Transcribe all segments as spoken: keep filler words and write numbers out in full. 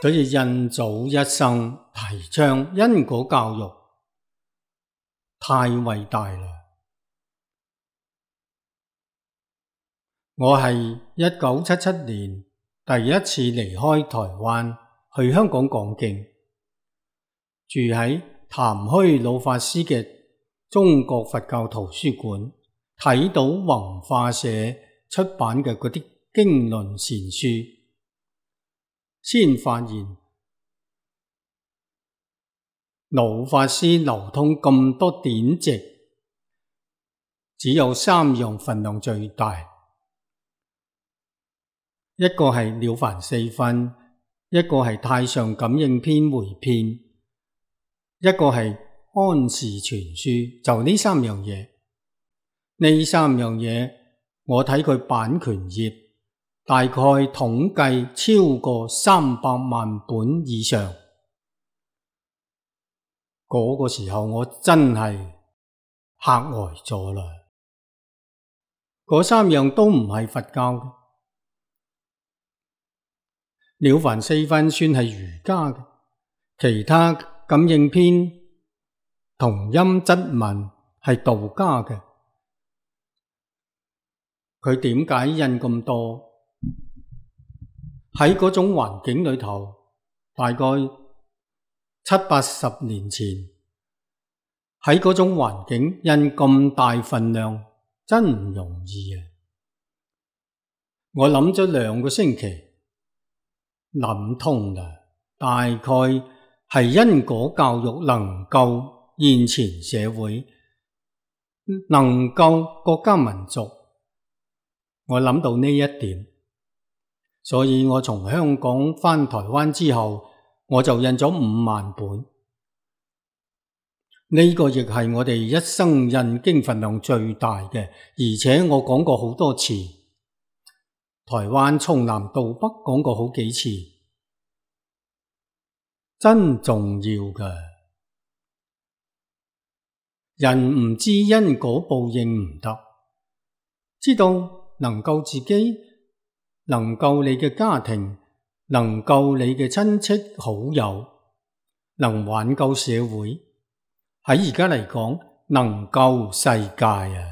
所以印祖一生提倡因果教育，太偉大啦！我係一九七七年第一次離開台灣去香港講經，住喺潭虛老法師嘅中國佛教圖書館，睇到弘化社出版嘅嗰啲經論善書，先發現老法師流通咁多典籍，只有三樣分量最大，一個係《了凡四訓》，一個係《太上感應篇》回遍，一個係《安氏全書》，就呢三樣嘢。呢三樣嘢我睇佢版權頁，大概統計超過三百萬本以上。嗰個時候我真係嚇呆咗啦！嗰三樣都唔係佛教嘅，《了凡四訓》算係儒家嘅，其他感應篇、同音質文係道家嘅。佢點解印咁多？喺嗰種環境裏頭，大概七八十年前，喺嗰種環境印咁大份量，真唔容易啊！我諗咗兩個星期，諗通啦，大概係因果教育能夠現前社會，能夠國家民族。我諗到呢一點，所以我從香港返台灣之後，我就印咗五萬本。呢個亦係我哋一生印經份量最大嘅，而且我講過好多次，台灣從南到北講過好幾次，真重要㗎。人唔知因果報應唔得，知道能救自己，能救你嘅家庭，能救你嘅親戚好友，能挽救社會，喺而家嚟講，能救世界啊！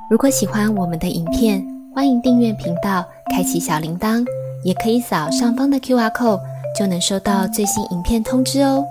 如果喜歡我們的影片，歡迎訂閱頻道，開啟小鈴鐺，也可以掃上方的 Q R code，就能收到最新影片通知哦。